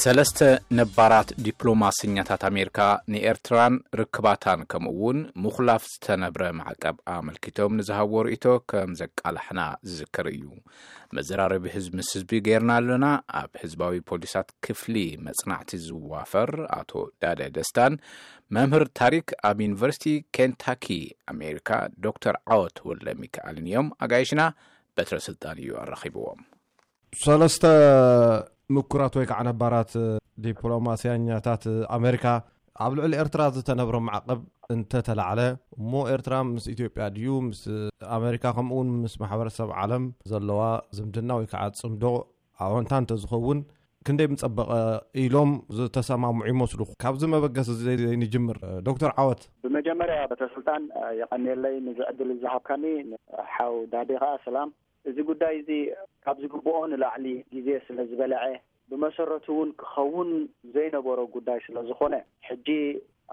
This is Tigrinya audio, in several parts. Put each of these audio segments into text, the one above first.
ሰለስተ ነባራት ዲፕሎማሰኛታት ኣሜሪካ ንኤርትራን ርክባታን ከምኡ እውን ምኹላፍ ዝተነብረ ማዕቀብ ኣመልኪቶም ንዝሃብዎ ርእይቶ ከም ዘቃላሕና ዝዝከር እዩ። መዘራረቢ ህዝቢ ምስ ህዝቢ ገይርና ኣለና። ኣብ ህዝባዊ ፖሊሳት ክፍሊ መጽናዕቲ ዝዋፈር ኣቶ ዳደ ደስታን መምህር ታሪክ ኣብ ዩኒቨርሲቲ ኬንታኪ ኣሜሪካ ዶክተር ዓወት ወልደ ሚካኤልን እዮም። ኣጋይሽና በትረ ስልጣን እዩ ኣራኺብዎም። ሰለስተ ምኩራት ወይ ከዓ ነባራት ዲፕሎማስያኛታት ኣሜሪካ ኣብ ልዕሊ ኤርትራ ዝተነብረ ማዕቐብ እንተተላዕለ፣ እሞ ኤርትራ ምስ ኢትዮጵያ ድዩ ምስ ኣሜሪካ ከምኡውን ምስ ማሕበረሰብ ዓለም ዘለዋ ዝምድና ወይ ከዓ ጽምዶ ኣወንታ እንተዝኸውን ክንደይ ምጸበቐ ኢሎም ዝተሰማምዑ ይመስሉ። ካብዚ መበገሲ እዚ ንጅምር። ዶክተር ዓወት። ብመጀመርያ በትረ ስልጣን፣ የቐንየለይ ንዚ ዕድል ዝሃብካኒ። ሓው ዳዴ ከዓ ሰላም። እዚ ጉዳይ እዚ ካብ ዝግብኦ ንላዕሊ ግዜ ስለ ዝበልዐ፣ ብመሰረቱ እውን ክኸውን ዘይነበሮ ጉዳይ ስለ ዝኾነ፣ ሕጂ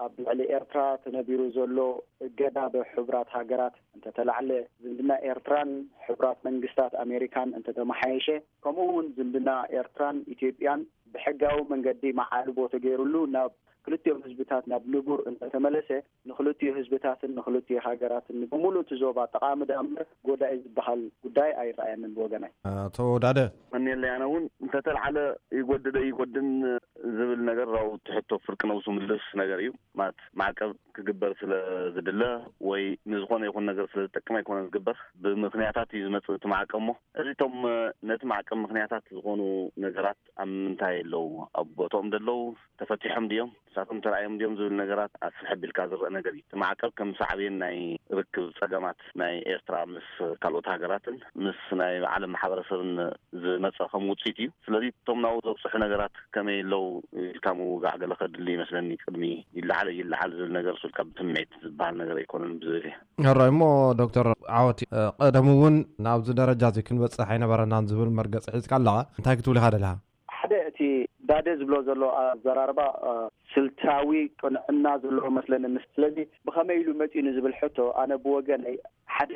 ኣብ ልዕሊ ኤርትራ ተነቢሩ ዘሎ እገዳ ብሕቡራት ሃገራት እንተተላዕለ፣ ዝምድና ኤርትራን ሕቡራት መንግስታት ኣሜሪካን እንተተመሓየሸ፣ ከምኡ እውን ዝምድና ኤርትራን ኢትዮጵያን ብሕጋዊ መንገዲ መዓልቦ ተገይሩሉ ናብ ክልቲኦም ህዝብታት ናብ ንቡር እንተተመለሰ፣ ንክልቲኡ ህዝብታትን ንክልቲኡ ሃገራትን፣ ንብሙሉእ እቲ ዞባ ጠቓሚ ደኣ እምበር ጎዳኢ ዝበሃል ጉዳይ ኣይረኣየንን ብወገናይ። ኣቶ ዳደ። መን የለ፣ ኣነ እውን እንተተልዓለ ይጎድደ ይጎድን ዝብል ነገር፣ ራው ትሕቶ ፍርቂ ነብሱ ምልስ ነገር እዩ። ማለት ማዕቀብ ክግበር ስለ ዝድለ ወይ ንዝኾነ ይኹን ነገር ስለ ዝጠቅም ኣይኮነን ዝግበር። ብምኽንያታት እዩ ዝመጽእ እቲ ማዕቀብ። እሞ እዚቶም ነቲ ማዕቀብ ምኽንያታት ዝኾኑ ነገራት ኣብ ምንታይ ኣለዉ? ኣብ ቦታኦም ደለዉ? ተፈቲሖም ድዮም? ንሳቶም ተራእዮም ድዮም ዝብል ነገራት ኣስፍሕ ኣቢልካ ዝረአ ነገር እዩ። እቲ ማዕቀብ ከም ሳዕቤን ናይ ርክብ ጸገማት ናይ ኤርትራ ምስ ካልኦት ሃገራትን ምስ ናይ ዓለም ማሕበረሰብን ዝመጸ ከም ውጽኢት እዩ። ስለዚ እቶም ናብኡ ዘብጽሑ ነገራት ከመይ ኣለዉ ኢልካ ምውጋዕ ገለ ከድሊ ይመስለኒ። ቅድሚ ይለዓል ይለዓል ዝብል ነገር ሱልካ ብስምዒት ዝበሃል ነገር ኣይኮነን ብዝብል እየ። ሕራይ እሞ ዶክተር ዓወት፣ እ፣ ቀደም እውን ናብዚ ደረጃ እዚ ክንበጽሕ ኣይነበረናን ዝብል መርገጺ ሒዝካ ኣለኻ። እንታይ ክትብል ኢኻ ደለኻ? ሓደ እቲ ዳደ ዝብሎ ዘሎ ኣዘራርባ፣ እ፣ ስልታዊ ቅንዕና ዘለዎ መስለኒ። ምስ-፣ ስለዚ ብኸመይ ኢሉ መጺኡ ንዝብል ሕቶ ኣነ ብወገነይ ሓደ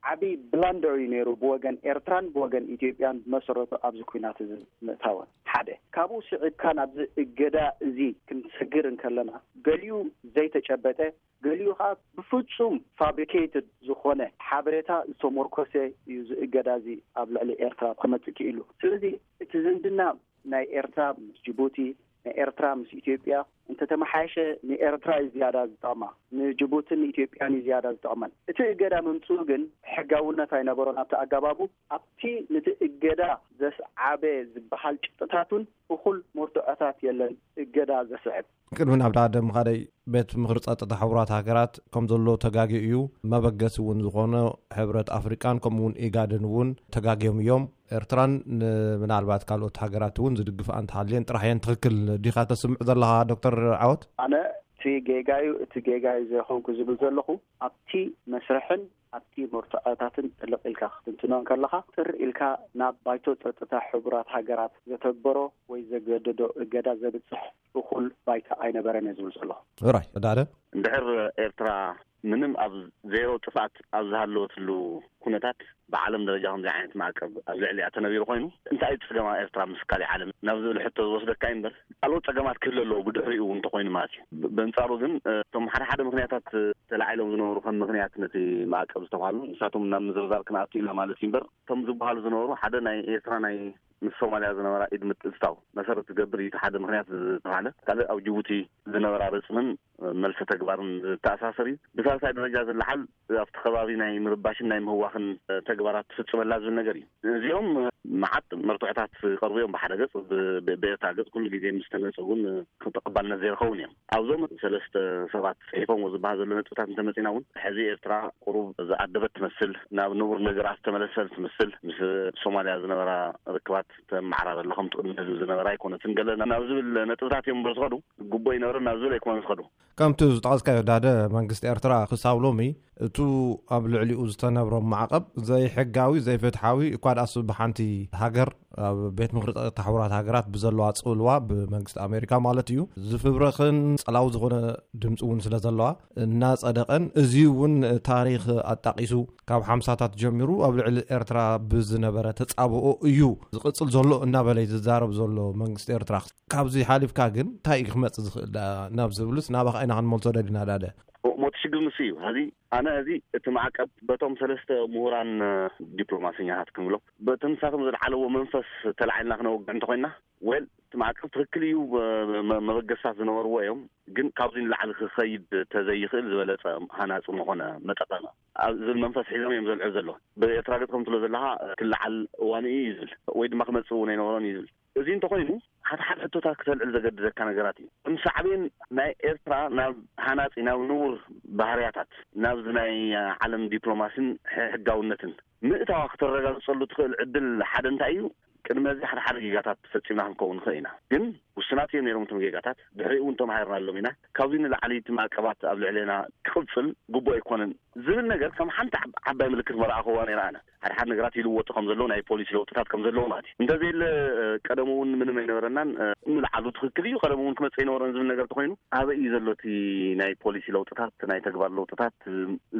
ዓቢ ብላንደር እዩ ነይሩ ብወገን ኤርትራን ብወገን ኢትዮጵያን ብመሰረቱ ኣብዚ ኲናት እዚ ምእታወን። ሓደ ካብኡ ስዒብካ ናብዚ እገዳ እዚ ክንሰግር እንከለና ገሊኡ ዘይተጨበጠ፣ ገሊኡ ከዓ ብፍጹም ፋብሪኬትድ ዝኾነ ሓበሬታ ዝተሞርኮሰ እዩ እዚ እገዳ እዚ ኣብ ልዕሊ ኤርትራ ክመጽእ ክኢሉ። ስለዚ እቲ ዝምድና ናይ ኤርትራ ምስ ጅቡቲ፣ ናይ ኤርትራ ምስ ኢትዮጵያ እንተተመሓየሸ ንኤርትራ እዩ ዝያዳ ዝጠቕማ፣ ንጅቡትን ንኢትዮጵያን እዩ ዝያዳ ዝጠቕመን። እቲ እገዳ ምምፅኡ ግን ሕጋውነት ኣይነበሮን ኣብቲ ኣገባቡ። ኣብቲ ነቲ እገዳ ዘስዓበ ዝበሃል ጭብጥታት እውን እኹል መርትዖታት የለን እገዳ ዘስዕብ። ቅድሚ ናብ ዳደ ምኻደይ፣ ቤት ምኽሪ ጸጥታ ሕቡራት ሃገራት ከም ዘሎ ተጋግዩ እዩ። መበገሲ እውን ዝኾነ ሕብረት ኣፍሪቃን ከምኡ እውን ኢጋድን እውን ተጋግዮም እዮም። ኤርትራን ን-፣ ምናልባት ካልኦት ሃገራት እውን ዝድግፍኣ እንተሃልየን ጥራሕ እየን ትኽክል። ዲኻ ተስምዕ ዘለኻ ዶክተር ዓወት? ኣነ እቲ ጌጋዩ፣ እቲ ጌጋዩ ዘይኮንኩ ዝብል ዘለኹ፣ ኣብቲ መስርሕን ኣብቲ መርትዖታትን ጥልቕ ኢልካ ክትንትኖ እንከለኻ፣ ጥር ኢልካ ናብ ባይቶ ጸጥታ ሕቡራት ሃገራት ዘተግበሮ ወይ ዘገደዶ እገዳ ዘብጽሕ እኹል ባይታ ኣይነበረን እየ ዝብል ዘለኹ። ራይ፣ ዳደ? እንድሕር ኤርትራ ምንም ኣብ ዜሮ ጥፍኣት ኣብ ዝሃለወትሉ ኩነታት፣ ብዓለም ደረጃ ከምዚ ዓይነት ማዕቀብ ኣብ ልዕሊኣ ተነቢሩ ኮይኑ፣ እንታይ እዩ ጸገማ ኤርትራ ምስ ካሊእ ዓለም ናብ ዝብል ሕቶ ዝወስደካ እዩ እምበር፣ ካልኦት ጸገማት ክህሉ ኣለዎ ብድሕሪኡ እውን እንተኾይኑ ማለት እዩ። ብ-፣ በንጻሩ ግን፣ እ፣ እቶም ሓደ ሓደ ምኽንያታት፣ እ፣ ተላዒሎም ዝነበሩ ከም ምኽንያት ነቲ ማዕቀብ ዝተባህሉ፣ ንሳቶም ናብ ምዝርዛር ክንኣቱ ኢና ማለት እዩ እምበር፣ እቶም ዝበሃሉ ዝነበሩ ሓደ ናይ ኤርትራ ናይ ምስ ሶማልያ ዝነበራ ኢድ ምትእትታው መሰረት ዝገብር እዩ እቲ ሓደ ምኽንያት ዝተባህለ። ካልእ ኣብ ጅቡቲ ዝነበራ ርጽምን መልሰ ተግባርን ዝተኣሳሰር እዩ። ብሳልሳይ ደረጃ ዝለዓል ኣብቲ ከባቢ ናይ ምርባሽን ናይ ምህዋኽን ተግባራት ትፍጽመላ ዝብል ነገር እዩ። እዚኦም መዓት መርትዖታት ይቐርቡ እዮም ብሓደ ገጽ፣ ብ-፣ ብ-፣ ብኤርትራ ገጽ ኩሉ ግዜ ምስ ተገለጸ እውን ተቐባልነት ዘይረኸቡን እዮም። ኣብዞም ሰለስተ ሰባት ጽሒፎም ዝበሃል ዘሎ ነጥብታት እንተመጺና እውን፣ ሕዚ ኤርትራ ቁሩብ ዝኣደበት ትመስል፣ ናብ ንቡር ነገራት ዝተመለሰት ትመስል፣ ምስ ሶማልያ ዝነበራ ርክባት ተመዓራረ ኣሎ፣ ከምቲ ቅድሚ ሕዚ ዝነበራ ኣይኮነትን፣ ገለ ናብ ዝብል ነጥብታት እዮም እምበር ዝኸዱ፣ ግቡእ ይነበረ ናብ ዝብል ኣይኮነን ዝኸዱ። ከምቲ ዝጠቐስካዮ ዳደ፣ መንግስቲ ኤርትራ ክሳብ ሎሚ እቱ ኣብ ልዕሊኡ ዝተነብሮ ማዕቐብ ዘይሕጋዊ፣ ዘይፍትሓዊ፣ እኳ ደኣስ ብሓንቲ ሃገር ኣብ ቤት ምኽሪ ጸጥታ ሕቡራት ሃገራት ብዘለዋ ጽልዋ፣ ብመንግስቲ ኣሜሪካ ማለት እዩ፣ ዝፍብረኽን ጸላዊ ዝኾነ ድምፂ እውን ስለ ዘለዋ እናጸደቐን፣ እዚ እውን ታሪኽ ኣጣቒሱ ካብ ሓምሳታት ጀሚሩ ኣብ ልዕሊ ኤርትራ ብዝነበረ ተጻብኦ እዩ ዝቕጽል ዘሎ እናበለ እዩ ዝዛረብ ዘሎ መንግስቲ ኤርትራ። ካብዚ ሓሊፍካ ግን እንታይ እዩ ክመጽእ ዝኽእል ደኣ ናብ ዝብልስ ናባኻ ኢና ክንመልሶ ደሊና ዳደ። ሞት ሽግር ምስ እዩ። ሕዚ ኣነ፣ እዚ እቲ ማዕቀብ በቶም ሰለስተ ምሁራን ዲፕሎማሰኛታት ክንብሎም፣ በቲ ንሳቶም ዝለዓለዎ መንፈስ ተላዒልና ክነወግዕ እንተኮይና፣ ወል እቲ ማዕቀብ ትኽክል እዩ፣ መ- መበገስታት ዝነበርዎ እዮም፣ ግን ካብዚ ንላዕሊ ክኸይድ ተዘይኽእል ዝበለጸ ሃናጺ ምኾነ መጠቐመ ኣብ ዝብል መንፈስ ሒዞም እዮም ዘልዕሉ ዘለዉ። ብኤርትራ ገጽ ከም ትብሎ ዘለኻ ክለዓል እዋኑ እዩ ይብል፣ ወይ ድማ ክመጽእ እውን ኣይነበሮን እዩ ዝብል። እዚ እንተኾይኑ፣ ሓደ ሓደ ሕቶታት ክተልዕል ዘገድደካ ነገራት እዩ። ከም ሳዕቤን ናይ ኤርትራ ናብ ሃናጺ፣ ናብ ንቡር ባህርያታት፣ ናብዚ ናይ ዓለም ዲፕሎማሲን ሕጋውነትን ምእታዋ ክተረጋግጸሉ ትኽእል ዕድል ሓደ እንታይ እዩ? ቅድሚ እዚ ሓደ ሓደ ጌጋታት ፈጺምና ክንከውን ንኽእል ኢና። ግን ውሱናት እዮም ነይሮም እቶም ጌጋታት። ድሕሪኡ እውን ተማሂርናሎም ኢና። ካብዚ ንላዕሊ እቲ ማዕቀባት ኣብ ልዕሌና ክቕጽል ግቡእ ኣይኮነን ዝብል ነገር ከም ሓንቲ ዓብ- ዓባይ ምልክት መርኣኽዋ ነይረ ኣነ። ሓደ ሓደ ነገራት ይልወጡ ከም ዘለዉ፣ ናይ ፖሊሲ ለውጥታት ከም ዘለዉ ማለት እዩ። እንተዘየለ ቀደም እውን ምንም ኣይነበረናን። ምልዓሉ ትኽክል እዩ። ቀደም እውን ክመጽእ ኣይነበረን ዝብል ነገር ተኾይኑ፣ ኣበይ እዩ ዘሎ እቲ ናይ ፖሊሲ ለውጥታት፣ ናይ ተግባር ለውጥታት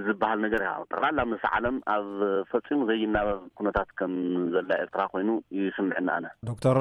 ዝበሃል ነገር? ያ ጠቕላላ ምስ ዓለም ኣብ ፈጺሙ ዘይናበብ ኩነታት ከም ዘላ ኤርትራ ኮይኑ ይስምዕና ኣነ። ዶክተር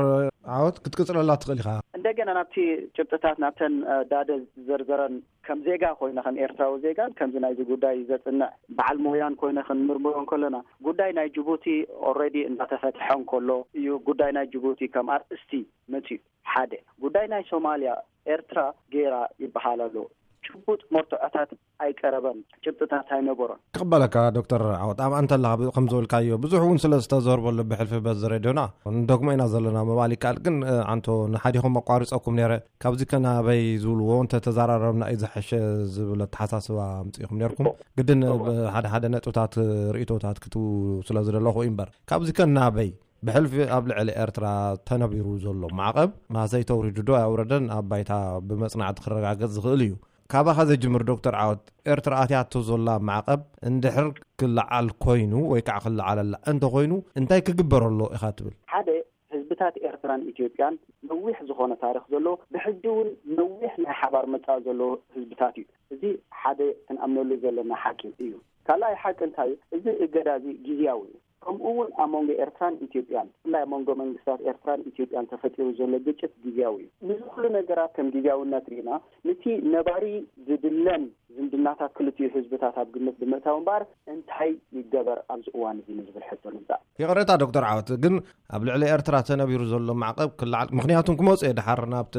ዓወት ክትቅጽለላ ትኽእል ኢኻ። እንደገና ናብቲ ጭብጥታት፣ ናብተን ዳደ ዘርዘረን፣ ከም ዜጋ ኮይነ፣ ከም ኤርትራዊ ዜጋን ከምዚ ናይዚ ጉዳይ ዘጽንዕ በዓል ሞያን ኮይነ ክንምርምሮ እንከለና፣ ጉዳይ ናይ ጅቡቲ ኦልሬዲ እንዳተፈትሐ እንከሎ እዩ ጉዳይ ናይ ጅቡቲ ከም ኣርእስቲ መጺኡ። ሓደ ጉዳይ ናይ ሶማልያ ኤርትራ ገይራ ይበሃል ኣሎ። ጭቡጥ መርትዖታት ኣይቀረበን፣ ጭብጥታት ኣይነበሮን። ክቕበለካ ዶክተር ዓወት፣ ኣብ ኣንተ ኣለኻ። ከም ዝበልካዮ ብዙሕ እውን ስለ ዝተዘርበሉ ብሕልፊ በዚ ሬድዮና ንደግሞ ኢና ዘለና ምባል ይከኣል። ግን ኣንቶ ንሓዲኹም ኣቋሪፀኩም ነይረ። ካብዚ ከናበይ ዝብልዎ እንተ ተዘራረብና እዩ ዝሐሸ ዝብል ኣተሓሳስባ ኣምፂእኹም ነርኩም። ግድን ብሓደ ሓደ ነጥብታት ርእቶታት ክትቡ ስለ ዝደለኹ እዩ እምበር፣ ካብዚ ከናበይ ብሕልፊ ኣብ ልዕሊ ኤርትራ ተነቢሩ ዘሎ ማዕቐብ ማሰይ ተውሪዱ ዶ ኣውረደን ኣብ ባይታ ብመጽናዕቲ ክረጋገጽ ዝኽእል እዩ። ካባኻ ዘጅምር ዶክተር ዓወት፣ ኤርትራ ኣትያቶ ዘላ ማዕቐብ እንድሕር ክለዓል ኮይኑ ወይ ከዓ ክለዓለላ እንተኾይኑ እንታይ ክግበር ኣሎ ኢኻ ትብል? ሓደ፣ ህዝብታት ኤርትራን ኢትዮጵያን ነዊሕ ዝኾነ ታሪኽ ዘለዎ፣ ብሕጂ እውን ነዊሕ ናይ ሓባር መጻኢ ዘለዎ ህዝብታት እዩ። እዚ ሓደ ክንኣምነሉ ዘለና ሓቂ እዩ። ካልኣይ ሓቂ እንታይ እዩ? እዚ እገዳ እዚ ግዝያዊ እዩ። ከምኡ እውን ኣብ መንጎ ኤርትራን ኢትዮጵያን፣ ብፍላይ ኣብ መንጎ መንግስታት ኤርትራን ኢትዮጵያን ተፈጢሩ ዘሎ ግጭት ግዝያዊ እዩ። ንዚ ኩሉ ነገራት ከም ግዝያውነት ርኢና፣ ነቲ ነባሪ ዝድለን ዝምድናታት ክልቲኡ ህዝብታት ኣብ ግምት ብምእታው እምበኣር፣ እንታይ ይገበር ኣብዚ እዋን እዚ ንዝብል ሕቶ ንምጻእ። ይቕሬታ ዶክተር ዓወት፣ ግን ኣብ ልዕሊ ኤርትራ ተነቢሩ ዘሎ ማዕቐብ ክለዓል፣ ምኽንያቱም ክመፁ እየ ድሓር ናብቲ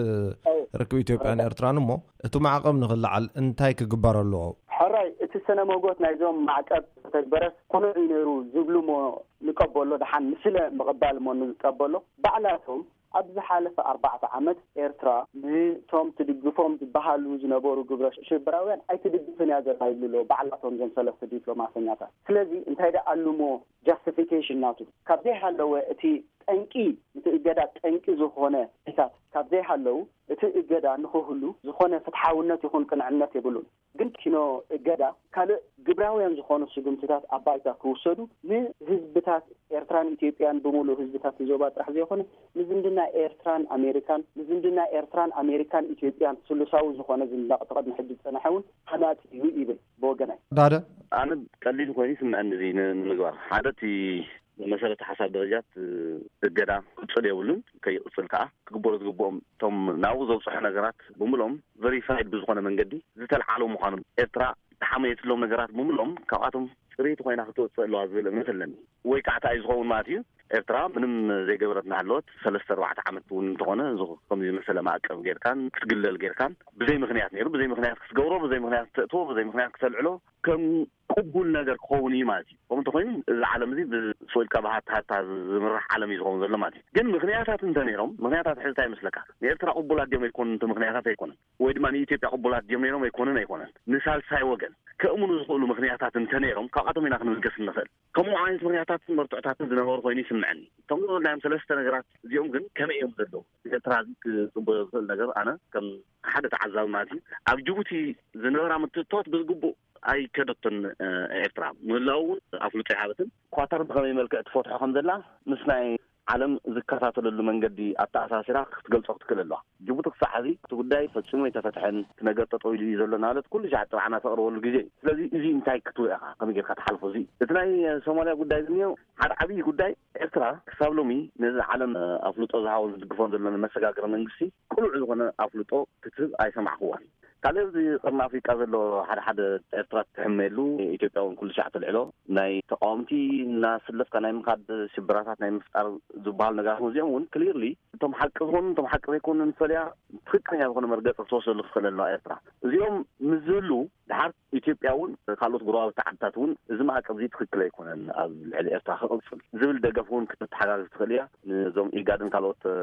ርክብ ኢትዮጵያን ኤርትራን እሞ፣ እቲ ማዕቐብ ንክለዓል እንታይ ክግበር ኣለዎ? ሕራይ፣ እቲ ስነ መጎት ናይዞም ማዕቀብ ተተግበረስ ቅኑዕ እዩ ነይሩ ዝብሉ እሞ ንቀበሎ፣ ደሓን ንስለ ምቕባል እሞ ንቀበሎ። ባዕላቶም ኣብ ዝሓለፈ ኣርባዕተ ዓመት ኤርትራ ንቶም ትድግፎም ዝበሃሉ ዝነበሩ ግብረ ሽበራውያን ኣይትድግፍን እያ ዘላ ይብሉ ኣለዉ፣ ባዕላቶም እዞም ሰለስተ ዲፕሎማሰኛታት። ስለዚ እንታይ ደኣ ኣሉሞ ጃስቲፊኬሽን ናቱ? ካብ ዘይሃለወ፣ እቲ ጠንቂ፣ እቲ እገዳ ጠንቂ ዝኾነ ታት ካብ ዘይሃለዉ፣ እቲ እገዳ ንኽህሉ ዝኾነ ፍትሓውነት ይኹን ቅንዕነት የብሉን። ግን ኪኖ እገዳ ካልእ ግብራውያን ዝኾኑ ስጉምትታት ኣብ ባይታ ክውሰዱ፣ ንህዝብታት ኤርትራን ኢትዮጵያን፣ ብምሉእ ህዝብታት ዞባ ጥራሕ ዘይኮነ፣ ንዝምድና ኤርትራን ኣሜሪካን፣ ንዝምድና ኤርትራን ኣሜሪካን ኢትዮጵያን ስሉሳዊ ዝኾነ ዝንዳቕ፣ እቲ ቅድሚ ሕጂ ዝጸንሐ እውን ሃናጺ እዩ ይብል ብወገናይ። ዳደ? ኣነ ቀሊል ኮይኑ ይስምዐኒ እዚ ን-፣ ንምግባር። ሓደ፣ እቲ መሰረተ ሓሳብ ደረጃ እቲ እገዳ ክቕጽል የብሉን፣ ከይቕጽል ከኣ ክግበሩ ዝግብኦም፣ እቶም ናብኡ ዘብጽሑ ነገራት ብምልኦም ቨሪፋይድ ብዝኾነ መንገዲ ዝተልዓሉ ምዃኖም፣ ኤርትራ ተሓመየትሎም ነገራት ብምልኦም ካብኣቶም ጽርይቲ ኮይና ክትወጽእ ኣለዋ ዝብል እምነት ኣለኒ። ወይ ከዓ እንታይ እዩ ዝኸውን ማለት እዩ፣ ኤርትራ ምንም ዘይገበረት እናሃለወት ሰለስተ ኣርባዕተ ዓመት እውን እንተኾነ፣ እዚ ከምዚ ዝመሰለ ማዕቀብ ጌርካን ክትግለል ጌርካን፣ ብዘይ ምኽንያት ነይሩ፣ ብዘይ ምኽንያት ክትገብሮ፣ ብዘይ ምኽንያት ክተእትዎ፣ ብዘይ ምኽንያት ክተልዕሎ ከም ቅቡል ነገር ክኸውን እዩ ማለት እዩ። ከምኡ እንተኾይኑ፣ እዚ ዓለም እዚ ብስቕ ኢልካ ብሃታ ሃታ ዝምራሕ ዓለም እዩ ዝኸውን ዘሎ ማለት እዩ። ግን ምኽንያታት እንተ ነይሮም፣ ምኽንያታት ሕዚ እንታይ ይመስለካ? ንኤርትራ ቅቡላት ድዮም ኣይኮኑን? እቲ ምኽንያታት ኣይኮነን። ወይ ድማ ንኢትዮጵያ ቅቡላት ድዮም ነይሮም ኣይኮኑን? ኣይኮነን። ንሳልሳይ ወገን ከእምኑ ዝኽእሉ ምኽንያታት እንተ ነይሮም፣ ካብኣቶም ኢና ክንብገስ እንኽእል። ከምኡ ዓይነት ምኽንያታትን መርትዖታትን ዝነበሩ ኮይኑ ይስምዐኒ። እቶም ዝበልናዮም ሰለስተ ነገራት እዚኦም ግን ከመይ እዮም ዘለዉ? ንኤርትራ እዚ ክጽበዮ ዝኽእል ነገር፣ ኣነ ከም ሓደ ተዓዛቢ ማለት እዩ፣ ኣብ ጅቡቲ ዝነበራ ምትእትታዋት ብዝግቡእ ኣይከደቶን። ኤርትራ ምህላው እውን ኣፍልጦ ይሃበትን። ኳታር ብኸመይ መልክዕ ትፈትሖ ከም ዘላ ምስ ናይ ዓለም ዝከታተለሉ መንገዲ ኣተኣሳሲራ ክትገልጾ ክትክእል ኣለዋ። ጅቡቲ ክሳዕ ሕዚ እቲ ጉዳይ ፈጺሙ ኣይተፈትሐን፣ እቲ ነገር ጠጠው ኢሉ እዩ ዘሎ እናበለት ኩሉ ሻዕ ጥብዓና ተቕርበሉ ግዜ እዩ። ስለዚ እዚ እንታይ ክትብሎ ኢኻ? ከመይ ጌርካ ትሓልፎ? እዚ እቲ ናይ ሶማልያ ጉዳይ ዝኒኦ ሓደ ዓብዪ ጉዳይ። ኤርትራ ክሳብ ሎሚ ነዚ ዓለም ኣፍልጦ ዝሃቦን ዝድግፎን ዘሎ መሰጋገሪ መንግስቲ ቅሉዕ ዝኾነ ኣፍልጦ ክትህብ ኣይሰማዕክዋን። ካልእ ኣብዚ ቀርኒ ኣፍሪቃ ዘሎ ሓደ ሓደ ኤርትራ ትሕመየሉ፣ ኢትዮጵያ እውን ኩሉ ሻዕ ትልዕሎ፣ ናይ ተቃወምቲ እናስለፍካ ናይ ምኻድ ሽበራታት ናይ ምፍጣር ዝበሃል ነገራት እዚኦም እውን ክሊርሊ እቶም ሓቂ ዝኾኑ እቶም ሓቂ ዘይኮኑ ንፈልያ ትኽክለኛ ዝኾነ መርገፂ ክትወስደሉ ክትኽእል ኣለዋ ኤርትራ። እዚኦም ምስ ዝህሉ ድሓር ኢትዮጵያ እውን ካልኦት ጎረባብቲ ዓድታት እውን እዚ ማዕቀብ እዚ ትኽክል ኣይኮነን ኣብ ልዕሊ ኤርትራ ክቕፅል ዝብል ደገፍ እውን ክትተሓጋግዝ ትኽእል እያ። ንዞም ኢጋድን ካልኦት እ፣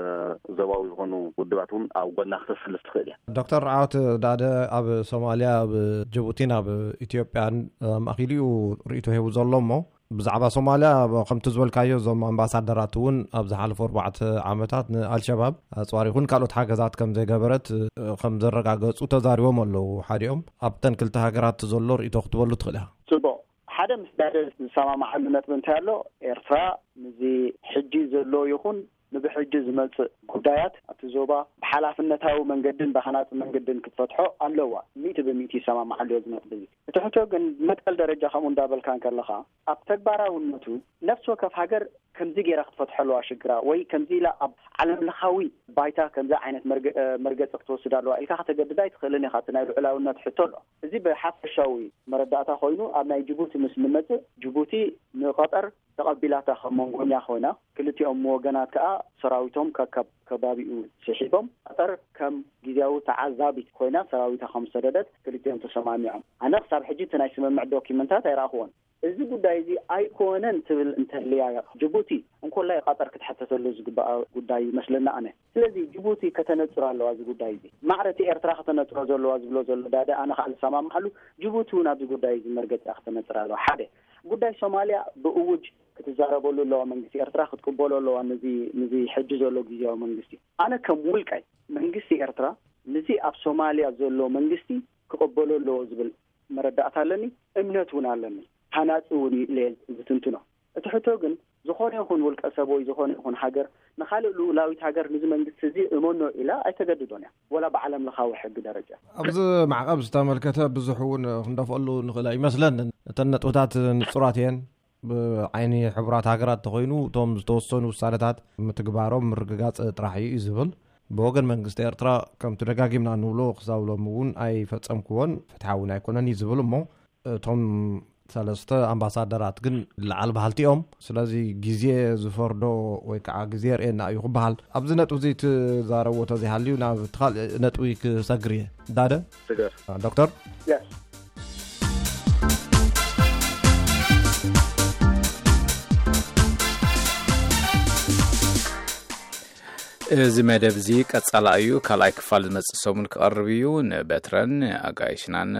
ዞባዊ ዝኾኑ ውድባት እውን ኣብ ጎና ክተሰልፍ ትኽእል እያ። ዶክተር ዓወት ዳደ ኣብ ሶማልያ፣ ኣብ ጅቡቲን ኣብ ኢትዮጵያን ኣማእኪሉ እዩ ርእይቶ ሂቡ ዘሎ እሞ ብዛዕባ ሶማልያ ከምቲ ዝበልካዮ እዞም ኣምባሳደራት እውን ኣብ ዝሓለፉ ኣርባዕተ ዓመታት ንኣልሸባብ ኣፅዋር ይኹን ካልኦት ሓገዛት ከም ዘይገበረት እ፣ ከም ዘረጋገፁ ተዛሪቦም ኣለዉ። ሓዲኦም ኣብተን ክልተ ሃገራት ዘሎ ርእይቶ ክትበሉ ትኽእል ኢኻ። ጽቡቕ። ሓደ ምስ ዳደ ዝሰማማዓሉ ነጥቢ እንታይ ኣሎ? ኤርትራ ምስዚ ሕጂ ዘሎ ይኹን ንብሕጂ ዝመጽእ ጉዳያት ኣብቲ ዞባ ብሓላፍነታዊ መንገድን ብሃናጺ መንገድን ክትፈትሖ ኣለዋ። ሚእቲ ብሚእቲ ይሰማማዓሉ እየ እዚ ነጥቢ እዚ። እቲ ሕቶ ግን መትከል ደረጃ ከምኡ እንዳበልካ እንከለኻ ኣብ ተግባራውነቱ ነፍሲ ወከፍ ሃገር ከምዚ ገይራ ክትፈትሖ ኣለዋ ሽግራ ወይ ከምዚ ኢላ ኣብ ዓለም ለኻዊ ባይታ ከምዚ ዓይነት መርገ- መርገጺ ክትወስድ ኣለዋ ኢልካ ከተገድዳ ኣይትኽእልን ኢኻ። እቲ ናይ ልዑላውነት ሕቶ ኣሎ። እዚ ብሓፈሻዊ መረዳእታ ኮይኑ ኣብ ናይ ጅቡቲ ምስ ንመጽእ ጅቡቲ ንቐጠር ተቐቢላታ ከም መንጎኛ ኮይና ክልቲኦም ወገናት ከኣ ሰራዊቶም ከካብ ከባቢኡ ስሒቦም ቀጠር ከም ግዜያዊ ተዓዛቢት ኮይና ሰራዊታ ከም ሰደደት ክልቲኦም ተሰማሚዖም። ኣነ ክሳብ ሕጂ እቲ ናይ ስምምዕ ዶኪመንታት ኣይረኣኽዎን። እዚ ጉዳይ እዚ ኣይኮነን ትብል እንተልያ ጅቡቲ እንኮላይ ቀጠር ክትሕተተሉ ዝግባኣ ጉዳይ ይመስለና ኣነ። ስለዚ ጅቡቲ ከተነጽሮ ኣለዋ እዚ ጉዳይ እዚ። ማዕረ እቲ ኤርትራ ከተነጽሮ ዘለዋ ዝብሎ ዘሎ ዳደ ኣነ ከዓ ዝሰማማዓሉ ጅቡቲ እውን ኣብዚ ጉዳይ እዚ መርገጺ እያ ከተነጽር ኣለዋ። ሓደ ጉዳይ ሶማልያ ብእውጅ ክትዛረበሉ ኣለዋ መንግስቲ ኤርትራ ክትቅበሎ ኣለዋ ነዚ ነዚ ሕጂ ዘሎ ግዜያዊ መንግስቲ። ኣነ ከም ውልቀይ መንግስቲ ኤርትራ ነዚ ኣብ ሶማልያ ዘሎ መንግስቲ ክቕበሎ ኣለዎ ዝብል መረዳእታ ኣለኒ፣ እምነት እውን ኣለኒ። ሃናጺ እውን እዩ ኢለ ዝትንትኖ። እቲ ሕቶ ግን ዝኾነ ይኹን ውልቀ ሰብ ወይ ዝኾነ ይኹን ሃገር ንኻልእ ልኡላዊት ሃገር ንዚ መንግስቲ እዚ እመኖ ኢላ ኣይተገድዶን እያ፣ ወላ ብዓለም ለኻዊ ሕጊ ደረጃ። ኣብዚ ማዕቐብ ዝተመልከተ ብዙሕ እውን ክንደፍኣሉ ንኽእል ኣይመስለንን። እተን ነጥብታት ንጹራት እየን። ብዓይኒ ሕቡራት ሃገራት ተኾይኑ እቶም ዝተወሰኑ ውሳነታት ምትግባሮም ምርግጋጽ ጥራሕ እዩ ዝብል። ብወገን መንግስቲ ኤርትራ ከምቲ ደጋጊምና ንብሎ ክሳብ ሎሚ እውን ኣይፈጸምክዎን ፍትሓዊ እውን ኣይኮነን እዩ ዝብል እሞ እቶም ሰለስተ ኣምባሳደራት ግን ለዓል በሃልቲ እዮም። ስለዚ ግዜ ዝፈርዶ ወይ ከዓ ግዜ የርእየና እዩ ክበሃል። ኣብዚ ነጥቢ እዚ ትዛረብዎ ተዘይሃልዩ ናብ እቲ ካልእ ነጥቢ ክሰግር እየ። ዳደ? ስገር። ዶክተር? Yes. እዚ መደብ እዚ ቀጻላ እዩ። ካልኣይ ክፋል ዝመጽእ ሰሙን ክቐርብ እዩ። ንበትረን ኣጋይሽናን